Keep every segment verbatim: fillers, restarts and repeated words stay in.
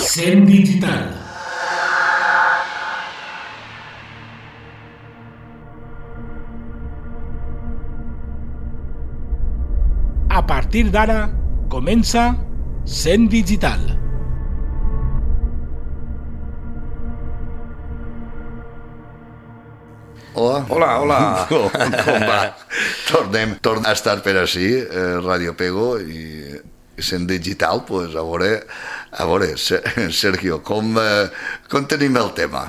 Cent Digital. A partir d'ara comença Cent Digital. Hola. Hola, hola. Com, com va? Tornem, tornem a estar per així, eh, Radio Pego i Cent Digital, pues, a veure, a veure, Sergio, com, eh, com tenim el tema?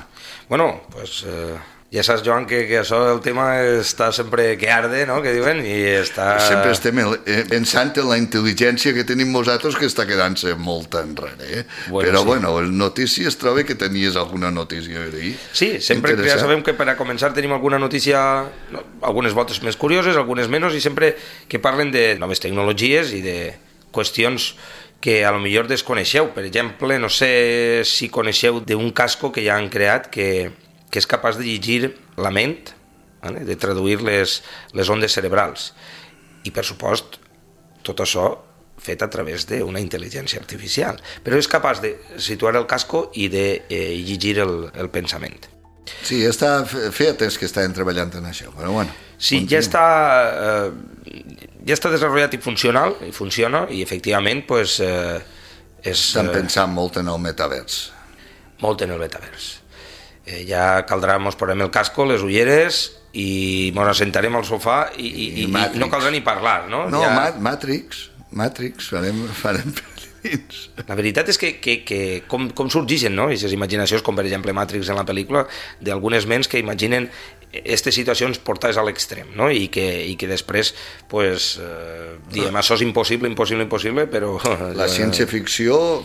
Bueno, pues eh, ja saps, Joan, que, que això del tema està sempre que arde, no?, que diuen, i està... Sempre estem pensant en la intel·ligència que tenim nosaltres, que està quedant-se molt enrere, eh? Bueno, però, sí. bueno, les notícies, trobo que tenies alguna notícia a dir. Sí, sempre que ja sabem que per a començar tenim alguna notícia, no, algunes voltes més curioses, algunes menys, i sempre que parlen de noves tecnologies i de qüestions que a lo millor desconeixeu. Per exemple, no sé si coneixeu d'un casco que ja han creat que, que és capaç de llegir la ment, ¿vale?, de traduir les, les ondes cerebrals. I, per supost, tot això fet a través d'una intel·ligència artificial. Però és capaç de situar el casco i de eh, llegir el, el pensament. Sí, està fet, és que estan treballant en això, però bueno. Sí, ja està, eh, ja està desenvolupat i funcional, i funciona, i efectivament, pues, eh, és... Estan pensant molt en el metavers. Molt en el metavers. Eh, ja caldrà, mos posarem el casco, les ulleres, i mos assentarem al sofà, i, i, i, i no caldrà ni parlar, no? No, ja... Matrix, Matrix, farem, farem per dins. La veritat és que, que, que com, com sorgeixen, no?, aquestes imaginacions, com per exemple Matrix en la pel·lícula, d'algunes ments que imaginen aquestes situacions portades a l'extrem, no?, i que, i que després, pues, eh, diem, això és impossible, impossible, impossible, però... La ciència-ficció, o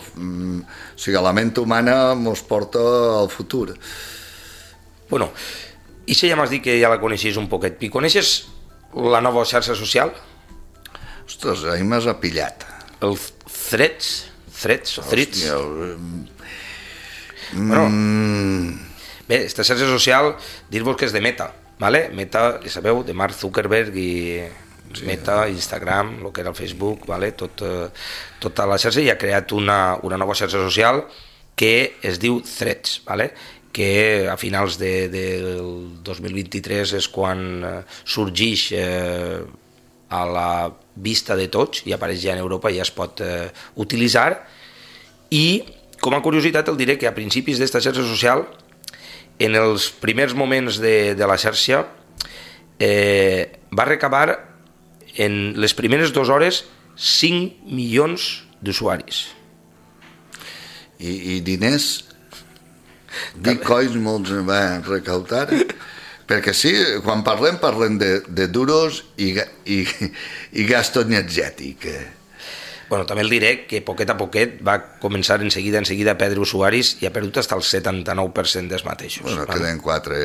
sigui, la ment humana mos porta al futur. Bueno, i si ja m'has dit que ja la coneixies un poquet, i coneixes la nova xarxa social? Ostres, ahir m'has apillat. El Threads, Threads o Threads. Hòstia, el... Bueno, bé, esta xarxa social, dir-vos que és de Meta, ¿vale? Meta, ja sabeu, de Mark Zuckerberg i sí, Meta, Instagram, el que era el Facebook, ¿vale? Tot, eh, tota la xarxa, i ha creat una, una nova xarxa social que es diu Threads, ¿vale?, que a finals de, del dos mil vint-i-tres és quan eh, sorgeix eh, a la vista de tots i apareix ja en Europa i ja es pot eh, utilitzar. I com a curiositat el diré que a principis d'esta xarxa social, en els primers moments de, de la xarxa, eh, va recabar en les primeres dues hores cinc milions d'usuaris. I, i diners? Bitcoins molts van recautar? Perquè sí, quan parlem, parlem de, de duros i, i, i gasto energètic. Bueno, també el diré que poquet a poquet va començar en seguida, en seguida a perdre usuaris i ha perdut fins al setanta-nou per cent dels mateixos. Bueno, vale? Queden quatre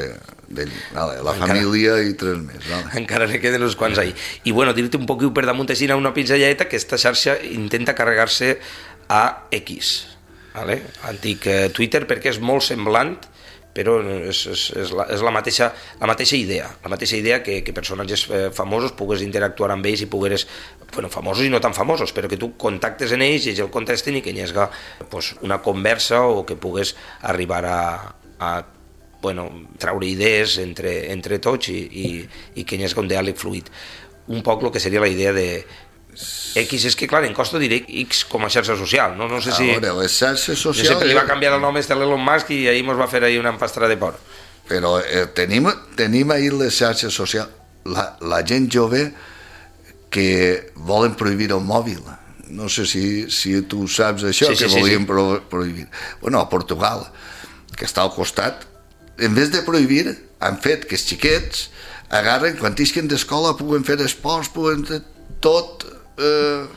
d'ell, vale, la encara, família i tres més. Vale. Encara ne queden uns quants ahí. I bueno, dir-te un poquet per damunt així una pinzelleta que esta xarxa intenta carregar-se a X, vale? Antic eh, Twitter, perquè és molt semblant, però és, és, és, la, és la, mateixa, la mateixa idea, la mateixa idea que, que personatges eh, famosos pugues interactuar amb ells i pugueres, bueno, famosos i no tan famosos, però que tu contactes en ells i ells el contesten i que hi hagi pues, una conversa o que pugues arribar a, a bueno, traure idees entre, entre tots i, i, i que hi hagi un diàleg fluid. Un poc el que seria la idea de X, és que clar, en costo diré X com a xarxa social, no, no sé si... A veure, les xarxes socials... Jo sempre li va canviar el nom este a l'Elon Musk i ahir mos va fer ahir una empastra de por. Però eh, tenim, tenim ahir les xarxes socials, la, la gent jove que volen prohibir el mòbil. No sé si, si tu saps això, sí, que sí, volien sí, sí. prohibir. Bueno, a Portugal, que està al costat, en vez de prohibir, han fet que els xiquets agarren, quan isquen d'escola puguen fer esports, puguen fer tot eh,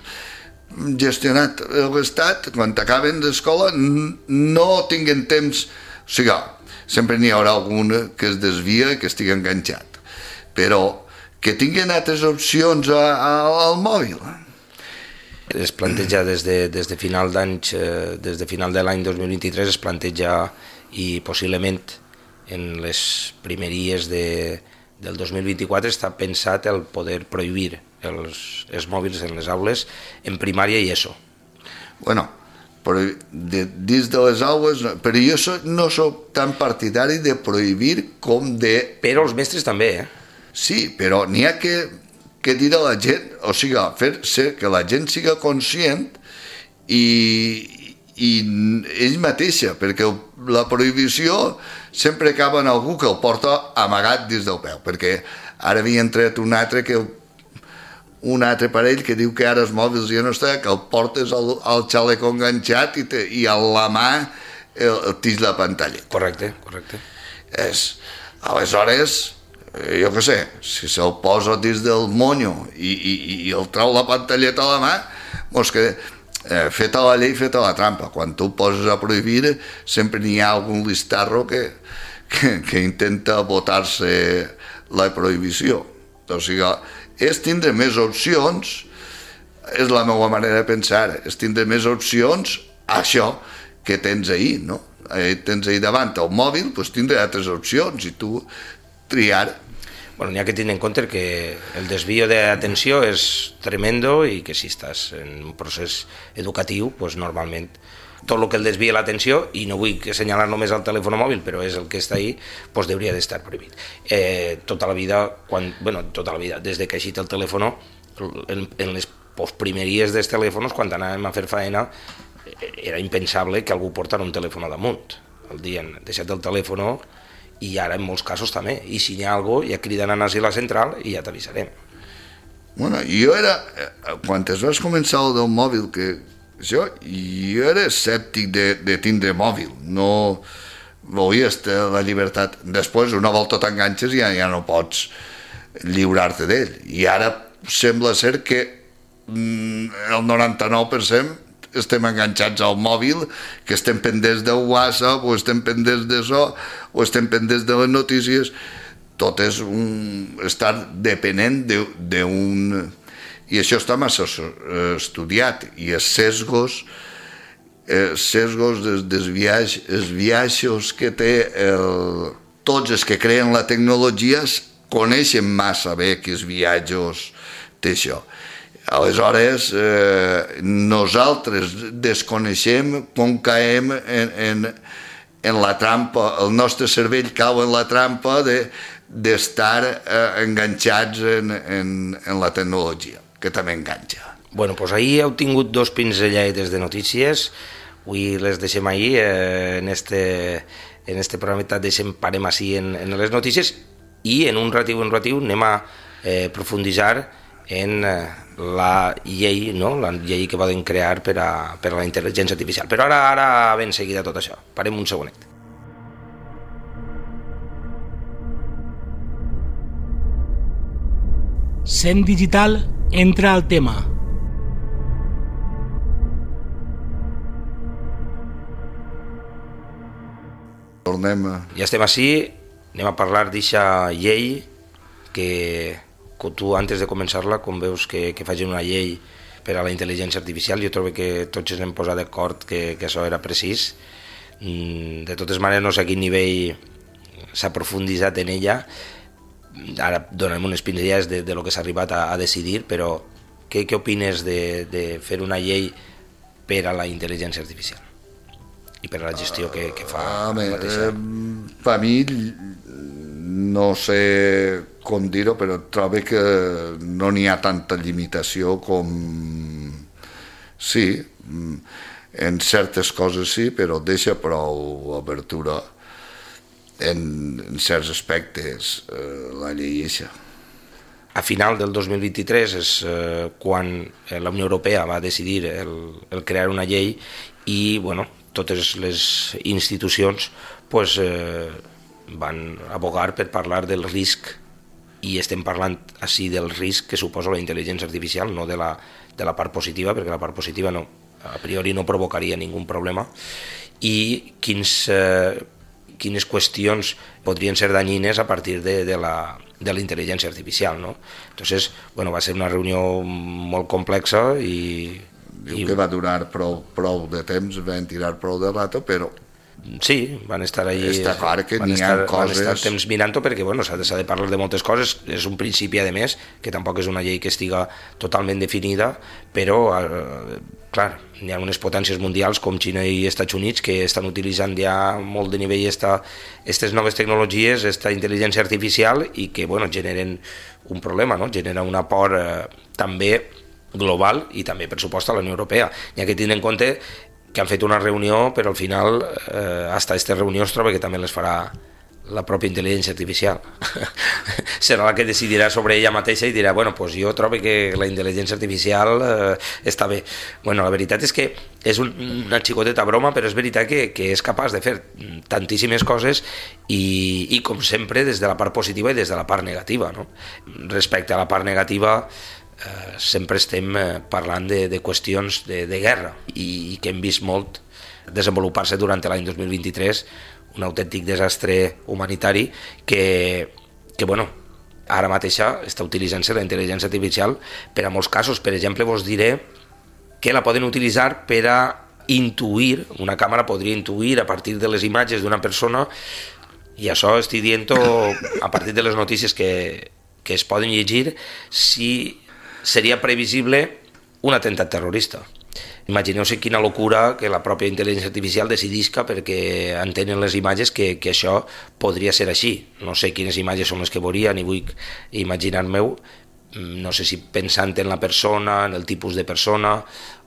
gestionat l'estat, quan acaben d'escola no tinguen temps, o sigui, sempre n'hi haurà algun que es desvia i que estigui enganxat, però que tinguin altres opcions a, a, al mòbil. Es planteja des de, des de final d'anys, eh, des de final de l'any dos mil vint-i-tres es planteja, i possiblement en les primeries de, del dos mil vint-i-quatre està pensat el poder prohibir els, els mòbils en les aules en primària i ESO. Bueno, però de, dins de les aules, però jo so, no soc tan partidari de prohibir com de... Però els mestres també, eh? Sí, però n'hi ha que, que dir a la gent, o sigui, fer ser que la gent siga conscient i, i ell mateixa, perquè la prohibició sempre acaba en algú que el porta amagat dins del peu, perquè ara havia entrat un altre que un altre parell que diu que ara els mòbils ja no està, que el portes al, al xaleco enganxat i, te, i a la mà el, el tix la pantalla. Correcte, correcte. És, aleshores, jo què sé, si se'l posa dins del monyo i, i, i el trau la pantalleta a la mà, doncs que eh, feta la llei, feta la trampa. Quan tu poses a prohibir, sempre n'hi ha algun listarro que, que, que intenta botar-se la prohibició. O sigui, és tindre més opcions, és la meva manera de pensar, és tindre més opcions a això que tens ahir, no? Eh, tens ahir davant el mòbil, doncs tindre altres opcions i tu triar. Bueno, n'hi ha que tenir en compte que el desvío d'atenció és tremendo i que si estàs en un procés educatiu, doncs normalment tot el que el desvia l'atenció, i no vull assenyalar només el telèfon mòbil, però és el que està ahí, doncs hauria d'estar prohibit. Eh, tota la vida, quan, bueno, tota la vida, des de que ha eixit el telèfon, en, en les postprimeries dels telèfons, quan anàvem a fer faena, era impensable que algú portara un telèfon damunt. El dien, deixa't el telèfon, i ara en molts casos també, i si n'hi ha alguna cosa, ja criden a anar a la central i ja t'avisarem. Bueno, jo era, quan es vas començar el del mòbil, que jo, jo era escèptic de, de tindre mòbil, no volies la llibertat. Després, una volta t'enganxes i ja, ja no pots lliurar-te d'ell. I ara sembla ser que mm, el noranta-nou per cent estem enganxats al mòbil, que estem pendents del WhatsApp, o estem pendents d'això, o estem pendents de les notícies. Tot és un, estar depenent d'un... I això està massa estudiat, i els sesgos, els sesgos dels, dels viatges, els viatges que té el, tots els que creen la tecnologia coneixen massa bé que els viatges té això. Aleshores, eh, nosaltres desconeixem com caem en, en, en la trampa, el nostre cervell cau en la trampa de, d'estar eh, enganxats en, en, en la tecnologia, que també enganxa. Bueno, doncs ahir heu tingut dos pinzellaires de notícies, avui les deixem ahir, eh, en este, en este programa deixem, parem així en, en les notícies, i en un ratiu, en un ratiu anem a eh, profunditzar en eh, la llei, no? La llei que poden crear per a, per a la intel·ligència artificial. Però ara, ara ben seguida tot això. Parem un segonet. Cent Digital entra al tema. Tornem a... Ja estem així, anem a parlar d'eixa llei que, que tu, antes de començar-la, quan veus que, que facin una llei per a la intel·ligència artificial, jo trobo que tots ens hem posat d'acord que, que això era precís. De totes maneres, no sé a quin nivell s'ha profunditzat en ella. Ara donarem unes pinzellades de, de lo que s'ha arribat a, a decidir, però què, què opines de, de fer una llei per a la intel·ligència artificial i per a la gestió que, que fa ah, la mateixa? Eh, per mi, no sé com dir-ho, però trobo que no n'hi ha tanta limitació com... Sí, en certes coses sí, però deixa prou obertura en, en certs aspectes eh, la llei eixa. A final del dos mil vint-i-tres és eh, quan la Unió Europea va decidir el, el crear una llei i bueno, totes les institucions pues, eh, van abogar per parlar del risc i estem parlant així del risc que suposa la intel·ligència artificial, no de la, de la part positiva, perquè la part positiva no, a priori no provocaria ningú problema, i quins, eh, quines qüestions podrien ser danyines a partir de, de la, de la intel·ligència artificial, no? Entonces, bueno, va ser una reunió molt complexa i... Diu i... que va durar prou, prou de temps, van tirar prou de rato, però... Sí, van estar allí... Està clar que n'hi ha estar, coses... Van estar temps mirant-ho perquè bueno, s'ha de, de parlar de moltes coses, és un principi a més, que tampoc és una llei que estiga totalment definida, però eh, clar, hi ha unes potències mundials com Xina i Estats Units que estan utilitzant ja molt de nivell aquestes noves tecnologies, aquesta intel·ligència artificial, i que bueno, generen un problema, no? Genera una por eh, també global i també per supost a la Unió Europea. Hi ha que tenir en compte que han fet una reunió, però al final eh, hasta aquesta reunió es troba que també les farà la pròpia intel·ligència artificial. Serà la que decidirà sobre ella mateixa i dirà, bueno, pues jo trobo que la intel·ligència artificial eh, està bé. Bueno, la veritat és que és un, una xicoteta broma, però és veritat que, que és capaç de fer tantíssimes coses i, i, com sempre, des de la part positiva i des de la part negativa, no? Respecte a la part negativa, Eh, sempre estem eh, parlant de, de qüestions de, de guerra i, i que hem vist molt desenvolupar-se durant l'any dos mil vint-i-tres, un autèntic desastre humanitari que, que bueno, ara mateixa està utilitzant-se la intel·ligència artificial per a molts casos. Per exemple, vos diré que la poden utilitzar per a intuir, una càmera podria intuir a partir de les imatges d'una persona, i això estic dient a partir de les notícies que, que es poden llegir, si seria previsible un atemptat terrorista. Imagineu-se quina locura que la pròpia intel·ligència artificial decidisca perquè entenen les imatges que, que això podria ser així. No sé quines imatges són les que veuria, ni vull imaginar-me-ho, no sé si pensant en la persona, en el tipus de persona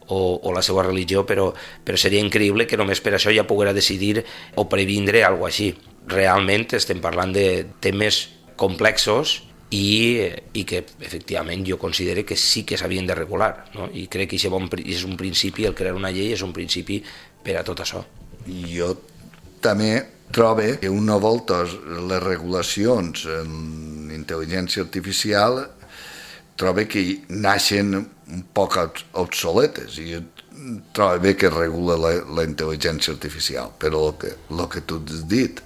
o, o la seva religió, però, però seria increïble que només per això ja poguera decidir o previndre alguna cosa així. Realment estem parlant de temes complexos i, i que efectivament jo considero que sí que s'havien de regular, no? I crec que és un principi, el crear una llei és un principi per a tot això. Jo també trobo que una volta les regulacions en intel·ligència artificial trobo que naixen un poc obsoletes, i trobo bé que regula la, la intel·ligència artificial, però el que, el que tu has dit,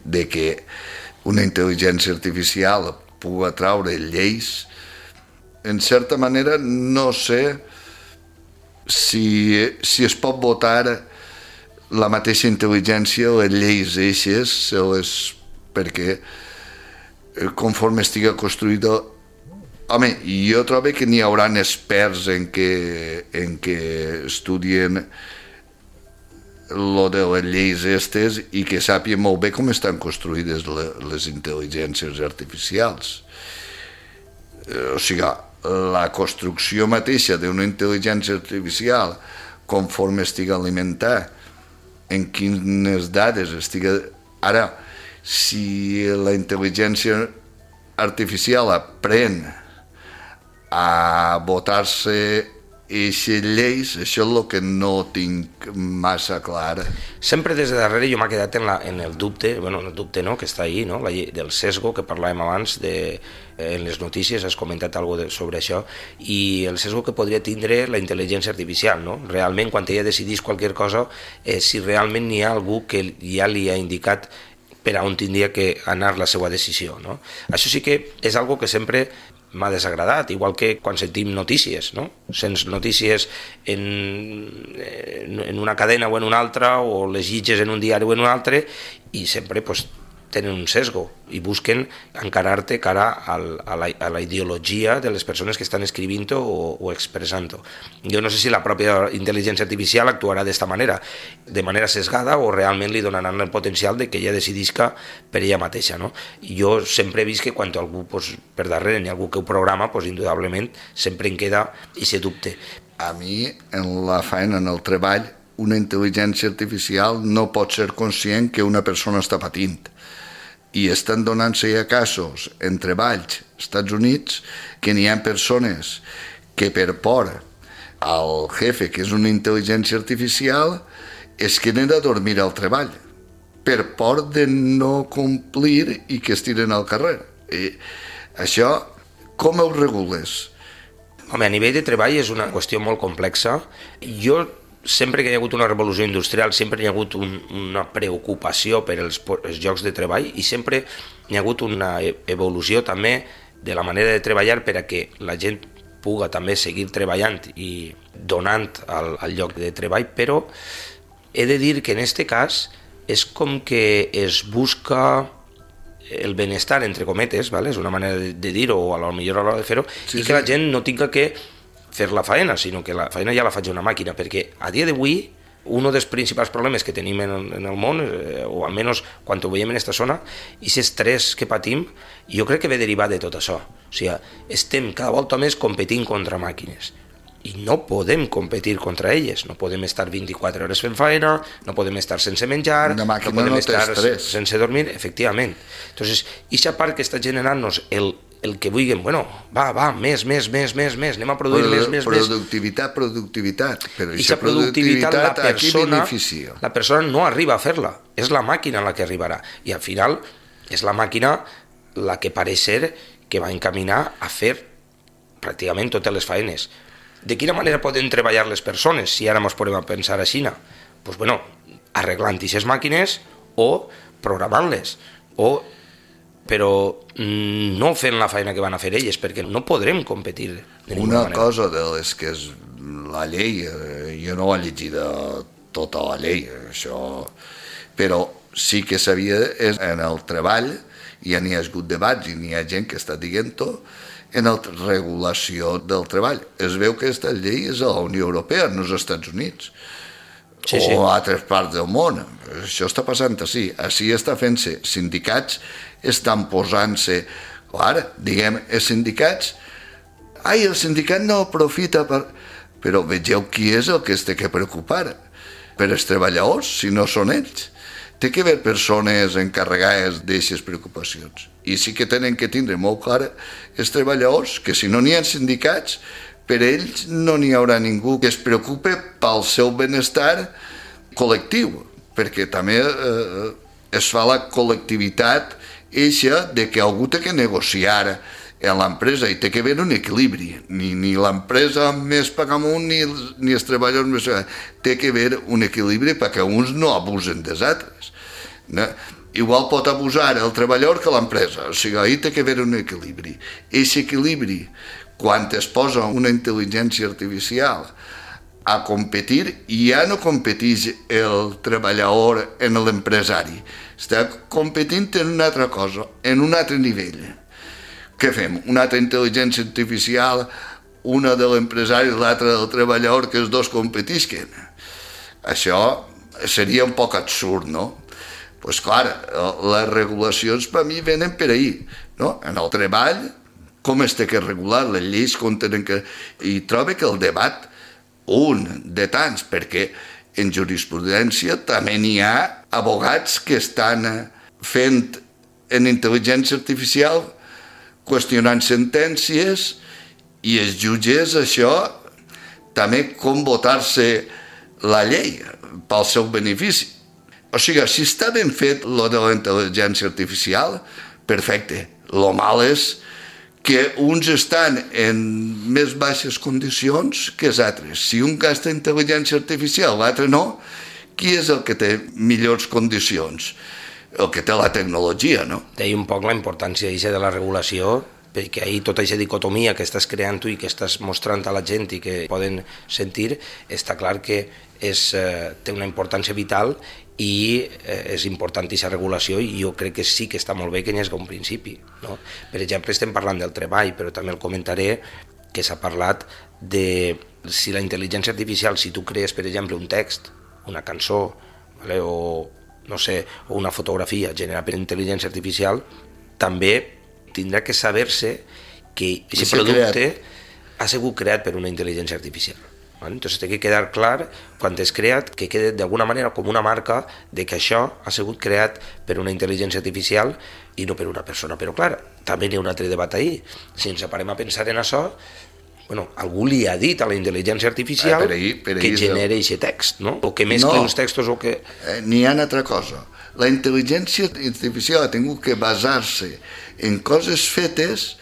de que una intel·ligència artificial pugui atraure lleis, en certa manera no sé si, si es pot votar la mateixa intel·ligència, les lleis eixes, les, perquè conforme estiga construïda, home, jo trobo que n'hi haurà experts en què, en què estudien lo de les lleis estes i que sàpien molt bé com estan construïdes les intel·ligències artificials. O sigui, la construcció mateixa d'una intel·ligència artificial, conforme estigui alimentada, en quines dades estigui... Ara, si la intel·ligència artificial aprèn a votar-se aquestes lleis, això és el que no tinc massa clar. Sempre des de darrere jo m'ha quedat en, la, en el dubte, bueno, el dubte no, que està ahí, no? La llei del sesgo que parlàvem abans, de, en les notícies has comentat alguna cosa sobre això, i el sesgo que podria tindre la intel·ligència artificial, no? Realment, quan ella decidís qualsevol cosa, eh, si realment hi ha algú que ja li ha indicat per a on tindria que anar la seva decisió, no? Això sí que és algo que sempre m'ha desagradat, igual que quan sentim notícies, no? Sents notícies en, en una cadena o en una altra, o les llitges en un diari o en un altre, i sempre pues, tenen un sesgo i busquen encarar-te cara al, a, la, a la ideologia de les persones que estan escrivint-ho o, o expressant-ho. Jo no sé si la pròpia intel·ligència artificial actuarà d'esta manera, de manera sesgada, o realment li donaran el potencial de que ella decidisca per ella mateixa, no? I jo sempre he vist que quan algú pues, per darrere hi ha algú que ho programa, pues, indudablement sempre en queda aquest dubte. A mi, en la feina, en el treball, una intel·ligència artificial no pot ser conscient que una persona està patint. I estan donant-se ja casos en treballs als Estats Units que n'hi ha persones que per por al jefe, que és una intel·ligència artificial, es queden a dormir al treball per por de no complir i que es tiren al carrer. I Això, com ho regules? Home, a nivell de treball és una qüestió molt complexa. Jo, sempre que hi ha hagut una revolució industrial, sempre hi ha hagut un, una preocupació per els, els llocs de treball i sempre hi ha hagut una evolució també de la manera de treballar per a que la gent puga també seguir treballant i donant al, al lloc de treball, però he de dir que en aquest cas és com que es busca el benestar, entre cometes, ¿vale? És una manera de, de dir-ho, o a lo millor a l'hora de fer-ho, sí, i que sí. La gent no tinga que fer la faena, sinó que la faena ja la faig una màquina, perquè a dia d'avui un dels principals problemes que tenim en, en el món, eh, o almenys quan ho veiem en aquesta zona, i aquest estrès que patim, jo crec que ve derivat de tot això. O sigui, estem cada volta més competint contra màquines. I no podem competir contra elles, no podem estar vint-i-quatre hores fent feina, no podem estar sense menjar, no podem no estar estrès. sense dormir, efectivament. Entonces, aquesta part que està generant-nos el, el que vulguem, bueno, va, va, més, més, més, més, més, anem a produir Produ més, més, més. Productivitat, productivitat, però aquesta productivitat, productivitat la persona, aquí beneficia. La persona no arriba a fer-la, és la màquina la que arribarà, i al final és la màquina la que pareix ser que va encaminar a fer pràcticament totes les faenes. De quina manera poden treballar les persones, si ara ens podem pensar a Xina? Pues bueno, arreglant aquestes màquines o programant-les, o, però no fent la feina que van a fer elles, perquè no podrem competir de ninguna Una manera. cosa de les que és la llei, jo no ho he llegit tota la llei, això, però sí que sabia en el treball, ja n'hi ha hagut debats i n'hi ha gent que està dient-ho, en la regulació del treball. Es veu que aquesta llei és a la Unió Europea, no als Estats Units, sí, sí. o a altres parts del món. Això està passant així. Així està fent-se. Sindicats estan posant-se... Clar, diguem, els sindicats... Ai, el sindicat no aprofita per... Però vegeu qui és el que es té que preocupar. Per els treballadors, si no són ells. Té que haver persones encarregades d'aquestes preocupacions. I sí que tenen que tindre molt clar els treballadors, que si no n'hi ha sindicats, per ells no n'hi haurà ningú que es preocupe pel seu benestar col·lectiu, perquè també eh, es fa la col·lectivitat eixa de que algú té que negociar en l'empresa i té que haver un equilibri. Ni, ni l'empresa més paga amunt ni, ni els treballadors més paga. Té que haver un equilibri perquè uns no abusen dels altres. No? Igual pot abusar el treballador que l'empresa, o sigui, ahir té que haver un equilibri. Aquest equilibri, quan es posa una intel·ligència artificial a competir, ja no competeix el treballador en l'empresari, està competint en una altra cosa, en un altre nivell. Què fem? Una altra intel·ligència artificial, una de l'empresari i l'altra del treballador, que els dos competisquen. Això seria un poc absurd, no? Doncs clar, les regulacions per mi venen per ahir, no? En el treball, com es té que regular, les lleis com tenen que... I trobo que el debat, un de tants, perquè en jurisprudència també n'hi ha abogats que estan fent en intel·ligència artificial, qüestionant sentències, i els jutges això, també com votar-se la llei pel seu benefici. O sigui, si està ben fet lo de la intel·ligència artificial, perfecte. Lo mal és que uns estan en més baixes condicions que els altres. Si un gasta intel·ligència artificial, l'altre no, qui és el que té millors condicions? El que té la tecnologia, no? Deia un poc la importància de la regulació, perquè ahir tota aquesta dicotomia que estàs creant tu i que estàs mostrant a la gent i que poden sentir, està clar que és, eh, té una importància vital i eh, és important aquesta regulació, i jo crec que sí que està molt bé que n'hi hagi un principi, no? Per exemple, estem parlant del treball, però també el comentaré que s'ha parlat de si la intel·ligència artificial, si tu crees, per exemple, un text, una cançó, vale, o no sé, o una fotografia generada per intel·ligència artificial, també tindrà que saber-se que aquest producte ha sigut creat per una intel·ligència artificial. Entonces té que quedar clar, quan és creat, que quede d'alguna manera com una marca de que això ha sigut creat per una intel·ligència artificial i no per una persona. Però clar, també n'hi ha un altre debat ahir. Si ens parem a pensar en això, bueno, algú li ha dit a la intel·ligència artificial eh, per ahí, per ahí que genera aquest text, no? O que mescla no, els textos o que... Eh, n'hi ha una altra cosa. La intel·ligència artificial ha tingut que basar-se en coses fetes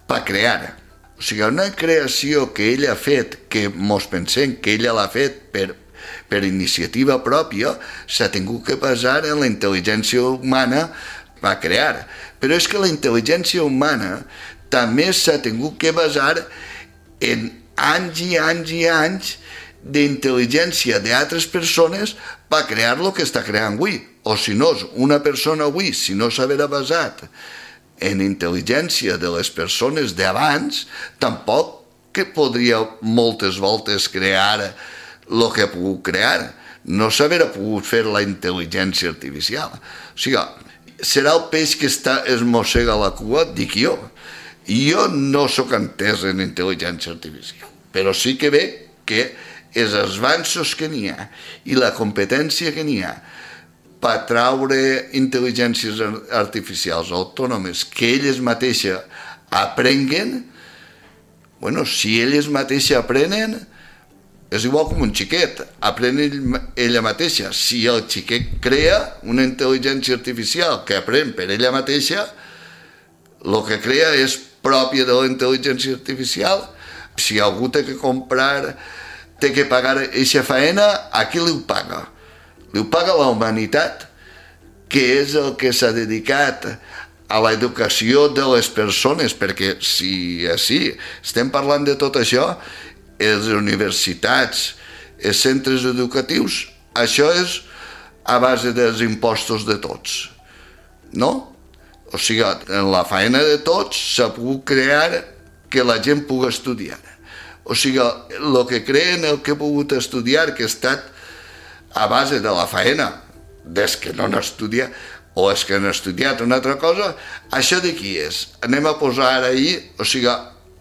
per crear. O sigui, una creació que ella ha fet, que mos pensem que ella l'ha fet per, per iniciativa pròpia, s'ha tingut que basar en la intel·ligència humana per crear. Però és que la intel·ligència humana també s'ha tingut que basar en anys i anys i anys d'intel·ligència d'altres persones per crear el que està creant avui. O si no, una persona avui, si no s'haguera basat en intel·ligència de les persones d'abans, tampoc que podria moltes voltes crear el que ha pogut crear. No s'haguera pogut fer la intel·ligència artificial. O sigui, serà el peix que està, es mossega la cua, dic jo. Jo no sóc entès en intel·ligència artificial, però sí que veig que els avanços que n'hi ha i la competència que n'hi ha per traure intel·ligències artificials autònomes que elles mateixes aprenguen, bueno, si elles mateixes aprenen, és igual com un xiquet, aprèn ella mateixa. Si el xiquet crea una intel·ligència artificial que aprèn per ella mateixa, el que crea és pròpia de la intel·ligència artificial. Si algú té que comprar, té que pagar aquesta faena, a qui li ho paga? Li ho paga la humanitat, que és el que s'ha dedicat a l'educació de les persones, perquè si així estem parlant de tot això, les universitats, els centres educatius, això és a base dels impostos de tots, no? O sigui, en la feina de tots s'ha pogut crear que la gent pugui estudiar. O sigui, el que creen, el que ha pogut estudiar, que ha estat a base de la feina des que no n'estudia, o és que han estudiat una altra cosa, això de qui és? Anem a posar ara ahir, o sigui,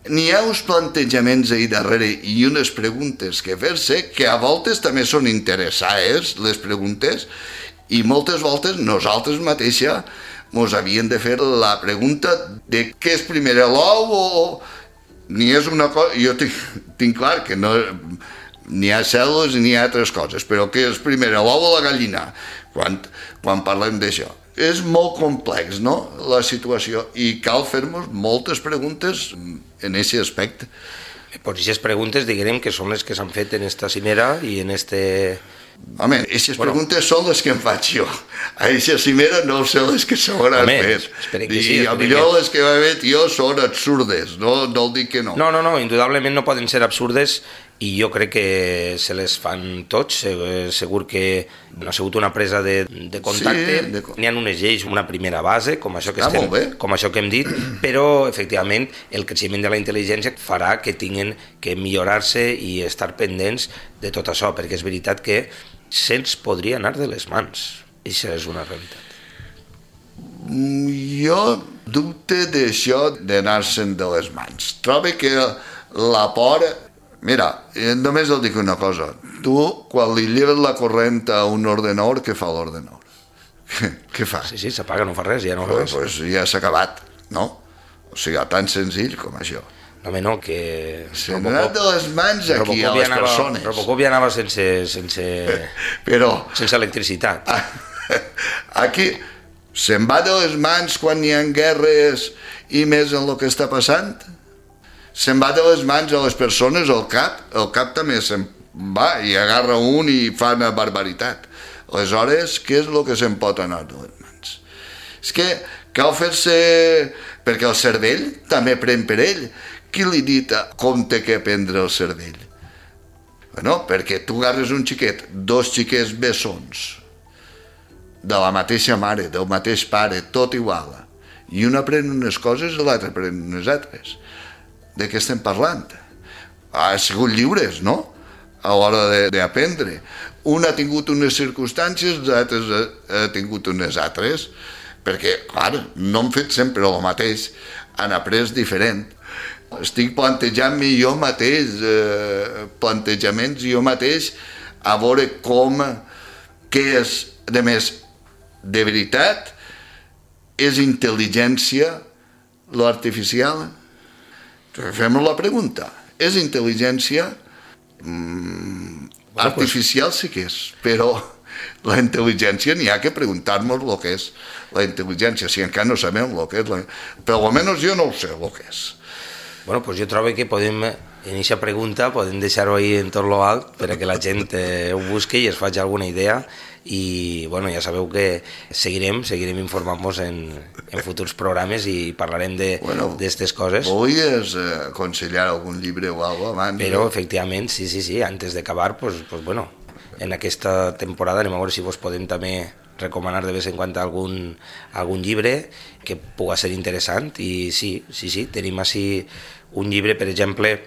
n'hi ha uns plantejaments ahir darrere i unes preguntes que fer-se que a voltes també són interessades, les preguntes, i moltes voltes nosaltres mateixes mos havien de fer la pregunta de què és primer l'ou o... Ni és una cosa... Jo tinc, tinc clar que no... N'hi ha cèl·lules i n'hi ha altres coses, però què és primer l'ou o la gallina? Quan, quan parlem d'això. És molt complex, no?, la situació, i cal fer-nos moltes preguntes en aquest aspecte. Per aquestes preguntes, diguem que són les que s'han fet en esta cimera i en este... Home, aquestes bueno, preguntes són les que em faig jo. A aquesta cimera no sé les que s'hauran fet. Que sí, I potser que... les que va fet jo són absurdes, no, no el dic que no. No, no, no, indudablement no poden ser absurdes i jo crec que se les fan tots. Segur que no ha sigut una presa de, de contacte, sí, de... n'hi ha unes lleis, una primera base, com això que, estem, com això que hem dit, però efectivament el creixement de la intel·ligència farà que tinguin que millorar-se i estar pendents de tot això, perquè és veritat que se'ns podria anar de les mans. Això és una realitat. Jo dubte d'això d'anar-se'n de les mans. Trobo que la por... Mira, només et dic una cosa. Tu, quan li lleves la corrent a un ordenador, què fa l'ordenador? Què fa? Sí, sí, s'apaga, no fa res, ja no fa res. Pues ja s'ha acabat, no? O sigui, tan senzill com això. No, home, no, que... Se n'ha anat de les mans aquí a les anava, persones. Robocop ja anava sense, sense, Però, sense electricitat. Aquí se'n va de les mans quan hi ha guerres i més en el que està passant. Se'n va de les mans a les persones, el cap, el cap també se'n va i agarra un i fa una barbaritat. Aleshores, què és el que se'n pot anar de les mans? És que cal fer-se... perquè el cervell també pren per ell. Qui li ha dit com té que prendre el cervell? Bueno, perquè tu agarres un xiquet, dos xiquets bessons, de la mateixa mare, del mateix pare, tot igual, i un aprèn unes coses i l'altre aprèn unes altres. De què estem parlant? Ha sigut lliures, no?, a l'hora d'aprendre. Un ha tingut unes circumstàncies, els altres ha tingut unes altres, perquè, clar, no han fet sempre el mateix, han après diferent. Estic plantejant-me jo mateix, eh, plantejaments jo mateix, a veure com, què és, de més, de veritat, és intel·ligència l'artificial? Fem la pregunta. és intel·ligència mm, bueno, artificial pues... sí que és, però la intel·ligència n'hi ha que preguntar-nos el que és la intel·ligència, si encara no sabem el que és, la... però almenys jo no ho sé el que és. Bueno, pues jo trobo que podem, en aquesta pregunta, podem deixar-ho ahí en tot lo alt perquè la gent eh, ho busqui i es faci alguna idea i, bueno, ja sabeu que seguirem, seguirem informant-nos en, en futurs programes i parlarem d'aquestes bueno, coses. Volies eh, aconsellar algun llibre o alguna cosa abans? Però, efectivament, sí, sí, sí, antes d'acabar, pues, pues bueno, en aquesta temporada anem a veure si vos podem també recomanar de vez en quan algun, algun llibre que pugui ser interessant i sí, sí, sí, tenim així un llibre, per exemple,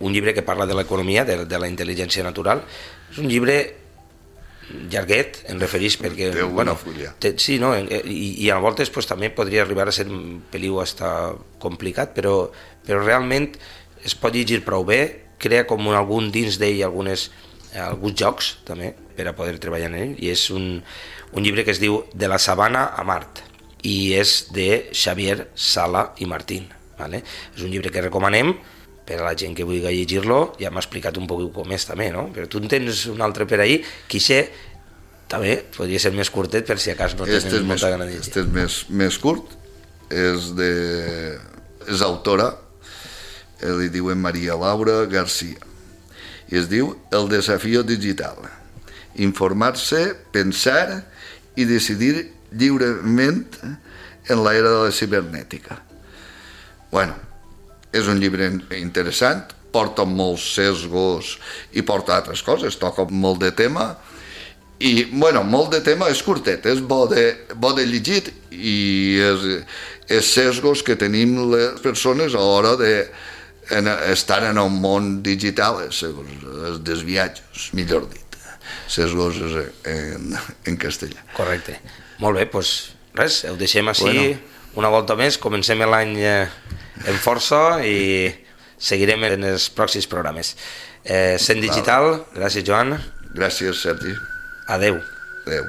un llibre que parla de l'economia, de, de la intel·ligència natural. És un llibre llarguet, em referís perquè... Té una bueno, fulla. Té, sí, no? I, i a voltes pues, també podria arribar a ser un peliu hasta complicat, però, però realment es pot llegir prou bé, crea com un, algun dins d'ell algunes, alguns jocs també per a poder treballar en ell, i és un, un llibre que es diu De la sabana a Mart i és de Xavier Sala i Martín. Vale? És un llibre que recomanem per a la gent que vulgui llegir-lo. Ja m'ha explicat un poc com és també, no? Però tu en tens un altre per ahí, que això també podria ser més curtet per si acas no tens este molta gana de llegir. Este és més, més curt, és de... és autora, li diuen Maria Laura García, i es diu El desafío digital. Informar-se, pensar i decidir lliurement en l'era de la cibernètica. Bueno, és un llibre interessant, porta molts sesgos i porta altres coses, toca molt de tema i, bueno, molt de tema, és curtet, és bo de, bo de llegir i és, és sesgos que tenim les persones a l'hora de en, estar en un món digital, els desviatges, millor dit, sesgos en, en castellà. Correcte. Molt bé, doncs res, ho deixem així. Bueno. Una volta més, comencem l'any en força i seguirem en els pròxims programes. Eh, Cent Digital, gràcies Joan. Gràcies Sergi. Adeu. Adeu.